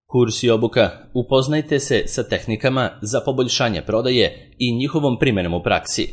Kurs i obuka. Upoznajte se sa tehnikama za poboljšanje prodaje i njihovom primjenom u praksi.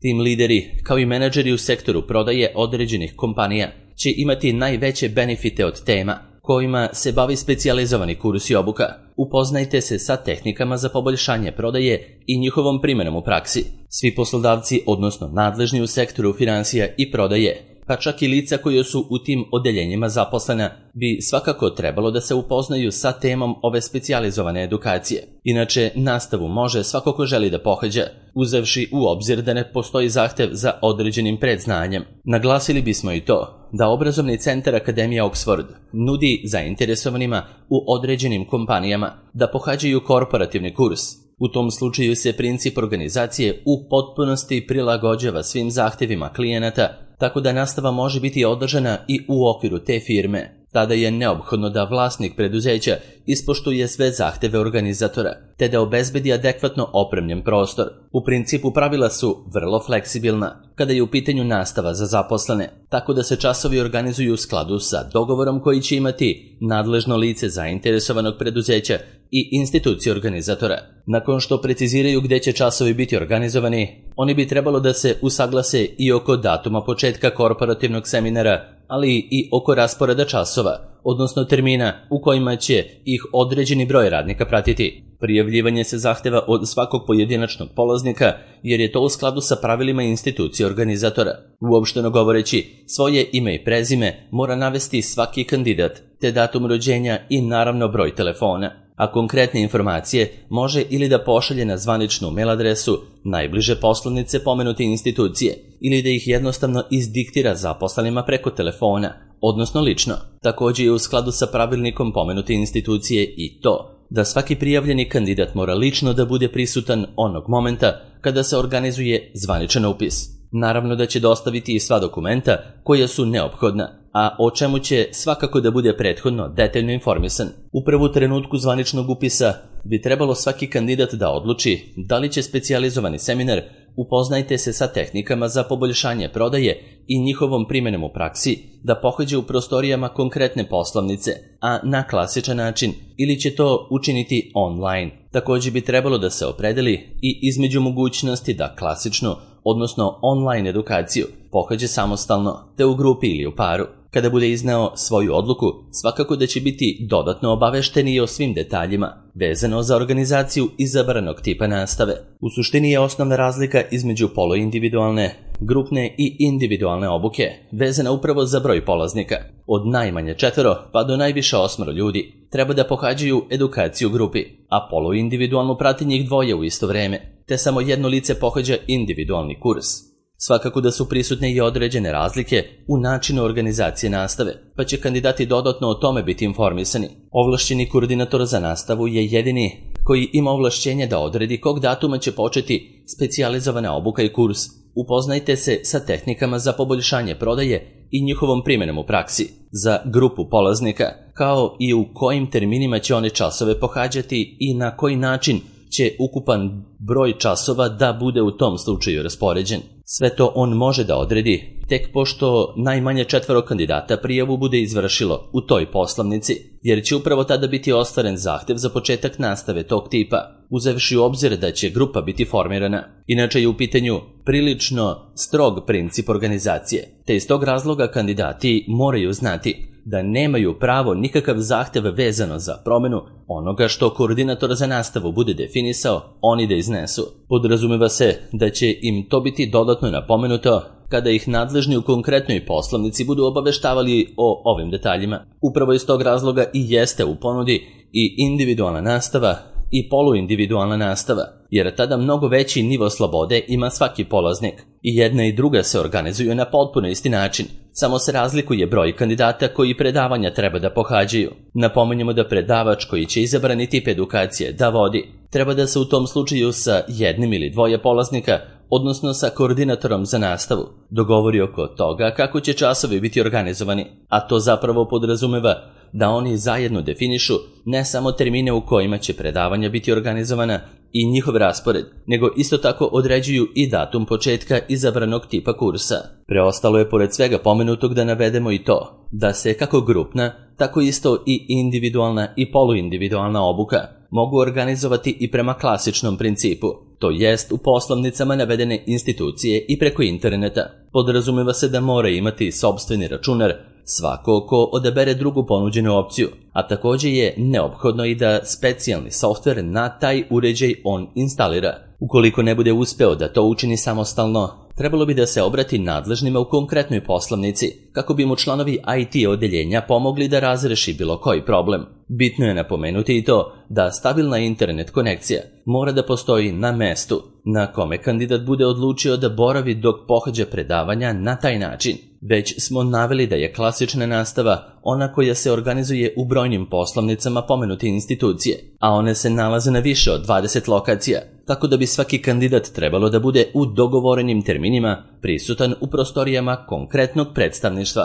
Tim lideri, kao i menadžeri u sektoru prodaje određenih kompanija, će imati najveće benefite od tema kojima se bavi specijalizovani kurs i obuka. Upoznajte se sa tehnikama za poboljšanje prodaje i njihovom primjenom u praksi. Svi poslodavci, odnosno nadležni u sektoru finansija i prodaje, pa čak i lica koje su u tim odeljenjima zaposlena, bi svakako trebalo da se upoznaju sa temom ove specijalizovane edukacije. Inače, nastavu može svako ko želi da pohađa, uzevši u obzir da ne postoji zahtev za određenim predznanjem. Naglasili bismo i to da obrazovni centar Akademija Oxford nudi zainteresovanima u određenim kompanijama da pohađaju korporativni kurs. U tom slučaju se princip organizacije u potpunosti prilagođava svim zahtevima klijenata, tako da nastava može biti održana i u okviru te firme. Tada je neophodno da vlasnik preduzeća ispoštuje sve zahteve organizatora, te da obezbedi adekvatno opremljen prostor. U principu pravila su vrlo fleksibilna kada je u pitanju nastava za zaposlene, tako da se časovi organizuju u skladu sa dogovorom koji će imati nadležno lice zainteresovanog preduzeća i institucije organizatora. Nakon što preciziraju gde će časovi biti organizovani, oni bi trebalo da se usaglase i oko datuma početka korporativnog seminara, ali i oko rasporeda časova, odnosno termina u kojima će ih određeni broj radnika pratiti. Prijavljivanje se zahteva od svakog pojedinačnog polaznika, jer je to u skladu sa pravilima institucije organizatora. Uopšteno govoreći, svoje ime i prezime mora navesti svaki kandidat, te datum rođenja i naravno broj telefona. A konkretne informacije može ili da pošalje na zvaničnu mail adresu najbliže poslovnice pomenute institucije ili da ih jednostavno izdiktira zaposlenima preko telefona, odnosno lično. Također je u skladu sa pravilnikom pomenute institucije i to da svaki prijavljeni kandidat mora lično da bude prisutan onog momenta kada se organizuje zvaničan upis. Naravno da će dostaviti i sva dokumenta koja su neophodna, a o čemu će svakako da bude prethodno detaljno informisan. Upravo u trenutku zvaničnog upisa bi trebalo svaki kandidat da odluči da li će specijalizovani seminar Upoznajte se sa tehnikama za poboljšanje prodaje i njihovom primjenom u praksi da pohađe u prostorijama konkretne poslovnice, a na klasičan način, ili će to učiniti online. Također bi trebalo da se opredeli i između mogućnosti da klasičnu, odnosno online edukaciju, pohađe samostalno, te u grupi ili u paru. Kada bude izneo svoju odluku, svakako da će biti dodatno obavešteni o svim detaljima vezano za organizaciju izabranog tipa nastave. U suštini je osnovna razlika između poluindividualne, grupne i individualne obuke vezana upravo za broj polaznika. Od najmanje 4 pa do najviše 8 ljudi treba da pohađaju edukaciju u grupi, a poluindividualno prati njih 2 u isto vreme, te samo jedno lice pohađa individualni kurs. Svakako da su prisutne i određene razlike u načinu organizacije nastave, pa će kandidati dodatno o tome biti informisani. Ovlašćeni koordinator za nastavu je jedini koji ima ovlašćenje da odredi kog datuma će početi specijalizovana obuka i kurs. Upoznajte se sa tehnikama za poboljšanje prodaje i njihovom primjenom u praksi za grupu polaznika, kao i u kojim terminima će one časove pohađati i na koji način će ukupan broj časova da bude u tom slučaju raspoređen. Sve to on može da odredi tek pošto najmanje 4 kandidata prijavu bude izvršilo u toj poslovnici, jer će upravo tada biti ostvaren zahtev za početak nastave tog tipa, uzevši u obzir da će grupa biti formirana. Inače je u pitanju prilično strog princip organizacije, te iz tog razloga kandidati moraju znati da nemaju pravo nikakav zahtev vezano za promjenu onoga što koordinator za nastavu bude definisao, oni da iznesu. Podrazumeva se da će im to biti dodatno napomenuto kada ih nadležni u konkretnoj poslovnici budu obaveštavali o ovim detaljima. Upravo iz tog razloga i jeste u ponudi i individualna nastava i poluindividualna nastava, jer tada mnogo veći nivo slobode ima svaki polaznik. I jedna i druga se organizuju na potpuno isti način, samo se razlikuje broj kandidata koji predavanja treba da pohađaju. Napominjemo da predavač koji će izabrani tip edukacije da vodi, treba da se u tom slučaju sa jednim ili 2 polaznika, odnosno sa koordinatorom za nastavu, dogovori oko toga kako će časovi biti organizovani, a to zapravo podrazumeva da oni zajedno definišu ne samo termine u kojima će predavanja biti organizovana i njihov raspored, nego isto tako određuju i datum početka izabranog tipa kursa. Preostalo je pored svega pomenutog da navedemo i to da se kako grupna, tako isto i individualna i poluindividualna obuka mogu organizovati i prema klasičnom principu, to jest u poslovnicama navedene institucije i preko interneta. Podrazumeva se da mora imati sopstveni računar svako ko odabere drugu ponuđenu opciju, a također je neophodno i da specijalni softver na taj uređaj on instalira. Ukoliko ne bude uspeo da to učini samostalno, trebalo bi da se obrati nadležnima u konkretnoj poslovnici, kako bi mu članovi IT odeljenja pomogli da razreši bilo koji problem. Bitno je napomenuti i to da stabilna internet konekcija mora da postoji na mestu na kome kandidat bude odlučio da boravi dok pohađa predavanja na taj način. Već smo naveli da je klasična nastava ona koja se organizuje u brojnim poslovnicama pomenute institucije, a one se nalaze na više od 20 lokacija, tako da bi svaki kandidat trebalo da bude u dogovorenim terminima prisutan u prostorijama konkretnog predstavništva.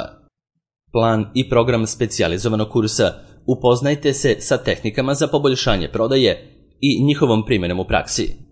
Plan i program specijalizovanog kursa: upoznajte se sa tehnikama za poboljšanje prodaje i njihovom primjenom u praksi.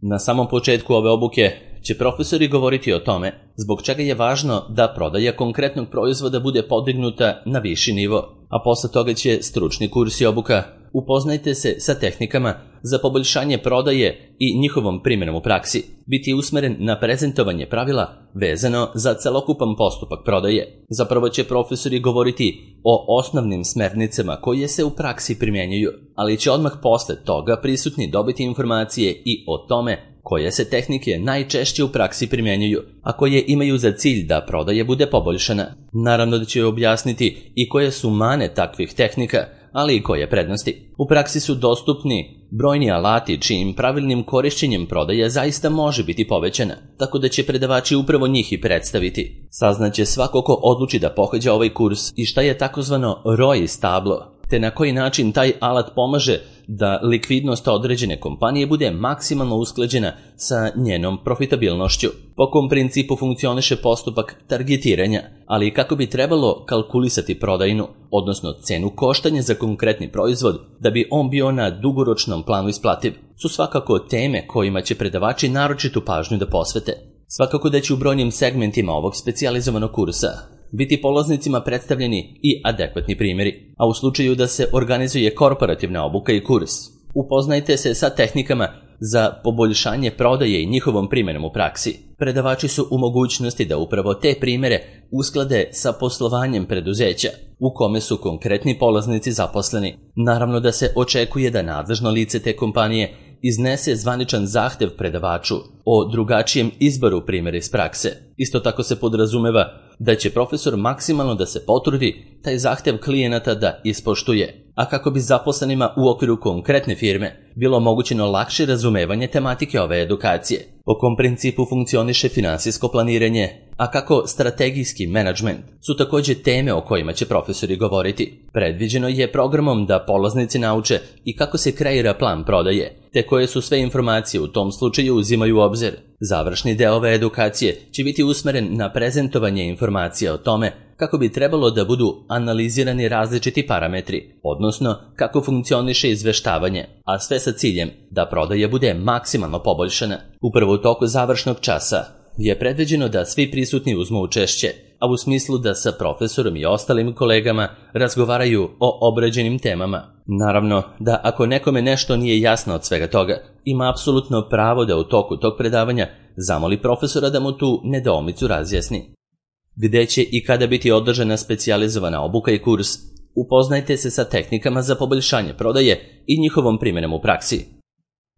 Na samom početku ove obuke će profesori govoriti o tome zbog čega je važno da prodaja konkretnog proizvoda bude podignuta na viši nivo, a posle toga će stručni kurs i obuka upoznajte se sa tehnikama za poboljšanje prodaje i njihovom primjenom u praksi biti usmeren na prezentovanje pravila vezano za celokupan postupak prodaje. Zapravo će profesori govoriti o osnovnim smernicama koje se u praksi primjenjuju, ali će odmah posle toga prisutni dobiti informacije i o tome koje se tehnike najčešće u praksi primjenjuju, a koje imaju za cilj da prodaja bude poboljšana. Naravno da će objasniti i koje su mane takvih tehnika, ali i koje prednosti. U praksi su dostupni brojni alati čijim pravilnim korišćenjem prodaja zaista može biti povećana, tako da će predavači upravo njih i predstaviti. Saznaće svako ko odluči da pohađa ovaj kurs i šta je takozvano ROI tablo, te na koji način taj alat pomaže da likvidnost određene kompanije bude maksimalno usklađena sa njenom profitabilnošću. Po kom principu funkcioniše postupak targetiranja, ali i kako bi trebalo kalkulisati prodajnu, odnosno cenu koštanja za konkretni proizvod da bi on bio na dugoročnom planu isplativ, su svakako teme kojima će predavači naročitu pažnju da posvete. Svakako da će u brojnim segmentima ovog specijalizovanog kursa biti polaznicima predstavljeni i adekvatni primjeri, a u slučaju da se organizuje korporativna obuka i kurs, upoznajte se sa tehnikama za poboljšanje prodaje i njihovom primjenom u praksi. Predavači su u mogućnosti da upravo te primjere usklade sa poslovanjem preduzeća u kome su konkretni polaznici zaposleni. Naravno da se očekuje da nadležno lice te kompanije iznese zvaničan zahtev predavaču o drugačijem izboru primjera iz prakse. Isto tako se podrazumeva da će profesor maksimalno da se potrudi taj zahtev klijenata da ispoštuje, a kako bi zaposlenima u okviru konkretne firme bilo omogućeno lakše razumevanje tematike ove edukacije. Po kom principu funkcioniše finansijsko planiranje, a kako strategijski menadžment su također teme o kojima će profesori govoriti. Predviđeno je programom da polaznici nauče i kako se kreira plan prodaje, te koje su sve informacije u tom slučaju uzimaju u obzir. Završni deo ove edukacije će biti usmeren na prezentovanje informacija o tome kako bi trebalo da budu analizirani različiti parametri, odnosno kako funkcioniše izveštavanje, a sve sa ciljem da prodaja bude maksimalno poboljšana. Upravo u toku završnog časa je predviđeno da svi prisutni uzmu učešće, a u smislu da sa profesorom i ostalim kolegama razgovaraju o obrađenim temama. Naravno da ako nekome nešto nije jasno od svega toga, ima apsolutno pravo da u toku tog predavanja zamoli profesora da mu tu nedoumicu razjasni. Gde će i kada biti održana specijalizovana obuka i kurs, upoznajte se sa tehnikama za poboljšanje prodaje i njihovom primjenom u praksi.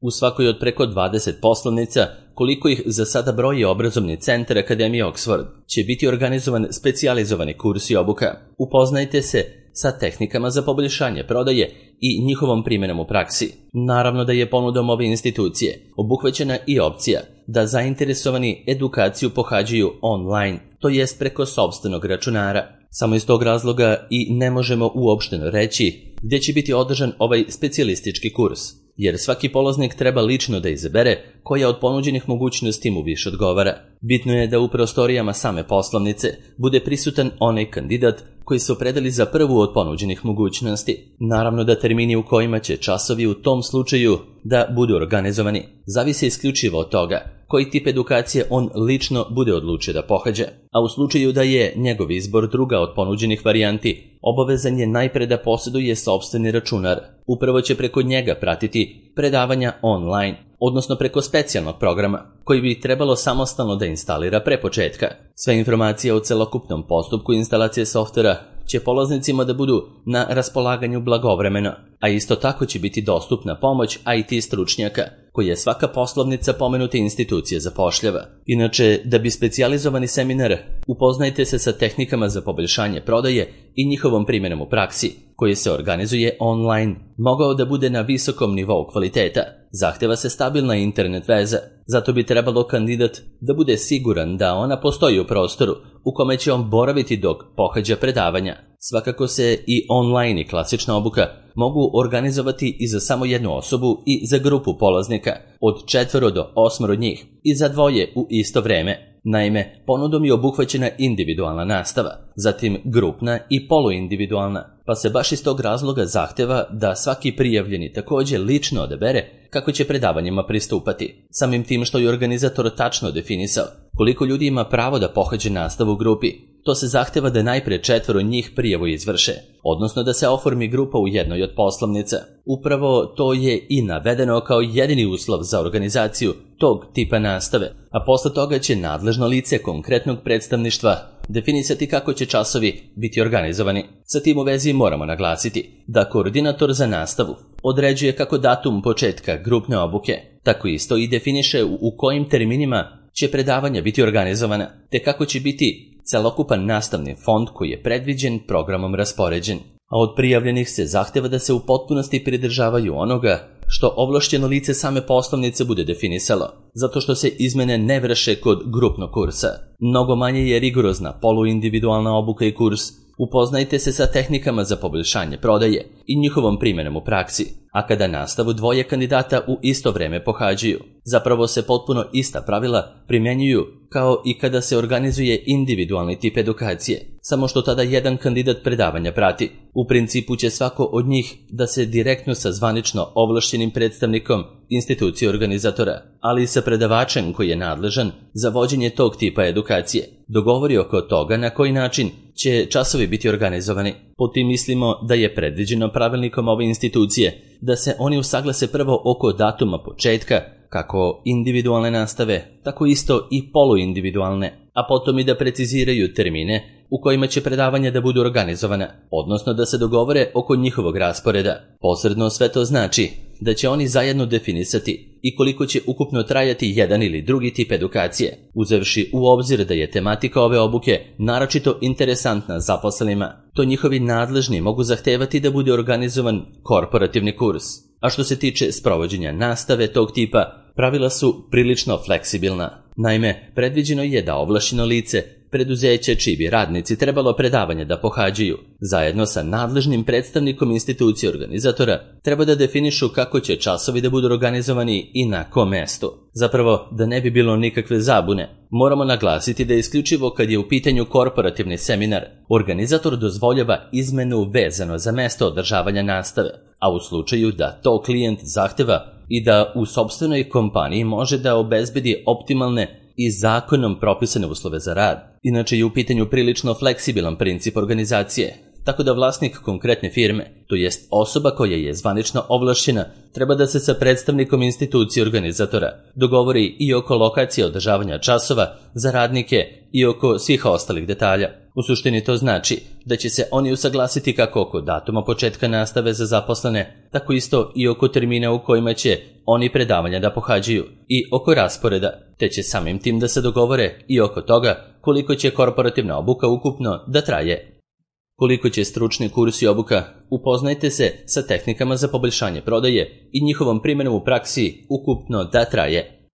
U svakoj od preko 20 poslovnica, koliko ih za sada broji obrazovni centar Akademije Oxford, će biti organizovan specijalizovani kurs i obuka. Upoznajte se sa tehnikama za poboljšanje prodaje i njihovom primjenom u praksi. Naravno da je ponudom ove institucije obuhvaćena i opcija da zainteresovani edukaciju pohađaju online, to jest preko sopstvenog računara. Samo iz tog razloga i ne možemo uopšteno reći gdje će biti održan ovaj specijalistički kurs, jer svaki polaznik treba lično da izabere koja od ponuđenih mogućnosti mu više odgovara. Bitno je da u prostorijama same poslovnice bude prisutan onaj kandidat koji se opredeli za prvu od ponuđenih mogućnosti. Naravno da termini u kojima će časovi u tom slučaju da budu organizovani zavise isključivo od toga koji tip edukacije on lično bude odlučio da pohađa, a u slučaju da je njegov izbor druga od ponuđenih varijanti, obavezan je najpre da posjeduje sopstveni računar. Upravo će preko njega pratiti predavanja online, odnosno preko specijalnog programa, koji bi trebalo samostalno da instalira pre početka. Sve informacije o celokupnom postupku instalacije softvera će polaznicima da budu na raspolaganju blagovremeno, a isto tako će biti dostupna pomoć IT stručnjaka, koji je svaka poslovnica pomenute institucije zapošljava. Inače, da bi specijalizovani seminar Upoznajte se sa tehnikama za poboljšanje prodaje i njihovom primjenom u praksi, koji se organizuje online, mogao da bude na visokom nivou kvaliteta, zahteva se stabilna internet veza, zato bi trebalo kandidat da bude siguran da ona postoji u prostoru u kome će on boraviti dok pohađa predavanja. Svakako se i online i klasična obuka mogu organizovati i za samo jednu osobu i za grupu polaznika od 4 do 8 njih i za 2 u isto vreme. Naime, ponudom je obuhvaćena individualna nastava, zatim grupna i poluindividualna, pa se baš iz tog razloga zahteva da svaki prijavljeni također lično odabere kako će predavanjima pristupati. Samim tim što je organizator tačno definisao koliko ljudi ima pravo da pohađe nastavu u grupi, to se zahteva da najpre 4 njih prijavu izvrše, odnosno da se oformi grupa u jednoj od poslovnica. Upravo to je i navedeno kao jedini uslov za organizaciju tog tipa nastave, a posle toga će nadležno lice konkretnog predstavništva definisati kako će časovi biti organizovani. Sa tim u vezi moramo naglasiti da koordinator za nastavu određuje kako datum početka grupne obuke, tako isto i definiše u kojim terminima će predavanja biti organizovana, te kako će biti celokupan nastavni fond koji je predviđen programom raspoređen. A od prijavljenih se zahteva da se u potpunosti pridržavaju onoga što ovlašćeno lice same poslovnice bude definisalo, zato što se izmene ne vrše kod grupnog kursa. Mnogo manje je rigorozna poluindividualna obuka i kurs Upoznajte se sa tehnikama za poboljšanje prodaje i njihovom primjenom u praksi, a kada nastavu 2 kandidata u isto vreme pohađaju, zapravo se potpuno ista pravila primjenjuju kao i kada se organizuje individualni tip edukacije, samo što tada jedan kandidat predavanja prati. U principu će svako od njih da se direktno sa zvanično ovlašćenim predstavnikom institucije organizatora, ali i sa predavačem koji je nadležan za vođenje tog tipa edukacije, dogovori oko toga na koji način će časovi biti organizovani. Po tim mislimo da je predviđeno pravilnikom ove institucije da se oni usaglase prvo oko datuma početka, kako individualne nastave, tako isto i poluindividualne, a potom i da preciziraju termine u kojima će predavanja da budu organizovana, odnosno da se dogovore oko njihovog rasporeda. Posredno sve to znači da će oni zajedno definisati i koliko će ukupno trajati jedan ili drugi tip edukacije, uzevši u obzir da je tematika ove obuke naročito interesantna zaposlenima. To njihovi nadležni mogu zahtevati da bude organizovan korporativni kurs. A što se tiče sprovođenja nastave tog tipa, pravila su prilično fleksibilna. Naime, predviđeno je da ovlašćeno lice, preduzeće čiji bi radnici trebalo predavanje da pohađaju, zajedno sa nadležnim predstavnikom institucije organizatora, treba da definišu kako će časovi da budu organizovani i na kom mestu. Zapravo, da ne bi bilo nikakve zabune, moramo naglasiti da isključivo kad je u pitanju korporativni seminar, organizator dozvoljava izmenu vezano za mesto održavanja nastave, a u slučaju da to klijent zahteva i da u sopstvenoj kompaniji može da obezbedi optimalne i zakonom propisane uslove za rad. Inače je u pitanju prilično fleksibilan princip organizacije, tako da vlasnik konkretne firme, to jest osoba koja je zvanično ovlašćena, treba da se sa predstavnikom institucije organizatora dogovori i oko lokacije održavanja časova za radnike i oko svih ostalih detalja. U suštini to znači da će se oni usaglasiti kako oko datuma početka nastave za zaposlene, tako isto i oko termina u kojima će oni predavanja da pohađaju i oko rasporeda, te će samim tim da se dogovore i oko toga koliko će korporativna obuka ukupno da traje. Koliko će stručni kurs i obuka Upoznajte se sa tehnikama za poboljšanje prodaje i njihovom primjenom u praksi ukupno da traje.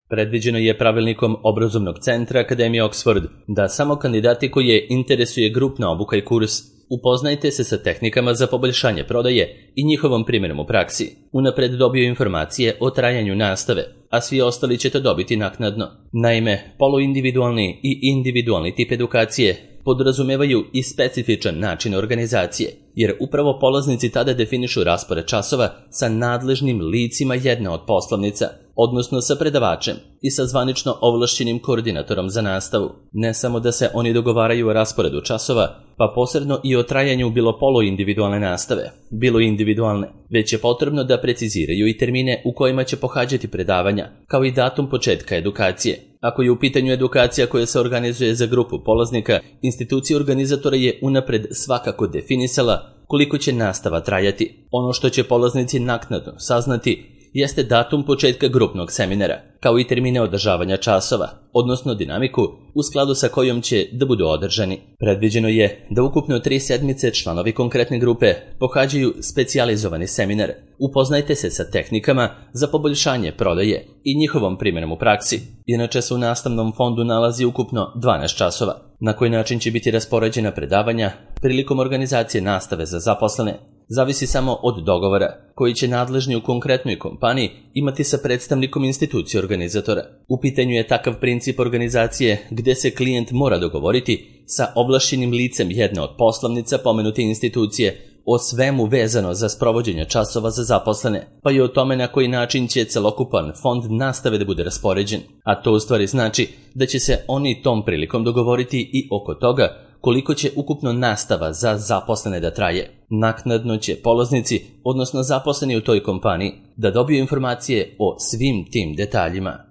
Predviđeno je pravilnikom obrazovnog centra Akademije Oxford da samo kandidati koje interesuje grupna obuka i kurs Upoznajte se sa tehnikama za poboljšanje prodaje i njihovom primjenom u praksi unapred dobiju informacije o trajanju nastave, a svi ostali će to dobiti naknadno. Naime, poluindividualni i individualni tip edukacije podrazumevaju i specifičan način organizacije, jer upravo polaznici tada definišu raspored časova sa nadležnim licima jedne od poslovnica, odnosno sa predavačem i sa zvanično ovlašćenim koordinatorom za nastavu. Ne samo da se oni dogovaraju o rasporedu časova, pa posebno i o trajanju bilo poluindividualne nastave, bilo individualne, već je potrebno da preciziraju i termine u kojima će pohađati predavanja, kao i datum početka edukacije. Ako je u pitanju edukacija koja se organizuje za grupu polaznika, institucija organizatora je unapred svakako definisala koliko će nastava trajati. Ono što će polaznici naknadno saznati jeste datum početka grupnog seminara, kao i termine održavanja časova, odnosno dinamiku u skladu sa kojom će da budu održani. Predviđeno je da ukupno 3 sedmice članovi konkretne grupe pohađaju specijalizovani seminar. Upoznajte se sa tehnikama za poboljšanje prodaje i njihovom primjenom u praksi. Inače se u nastavnom fondu nalazi ukupno 12 časova. Na koji način će biti raspoređena predavanja prilikom organizacije nastave za zaposlene zavisi samo od dogovora koji će nadležni u konkretnoj kompaniji imati sa predstavnikom institucije organizatora. U pitanju je takav princip organizacije gde se klijent mora dogovoriti sa ovlašćenim licem jedne od poslovnica pomenute institucije o svemu vezano za sprovođenje časova za zaposlene, pa i o tome na koji način će celokupan fond nastave da bude raspoređen. A to u stvari znači da će se oni tom prilikom dogovoriti i oko toga koliko će ukupno nastava za zaposlene da traje. Naknadno će polaznici, odnosno zaposleni u toj kompaniji, da dobiju informacije o svim tim detaljima.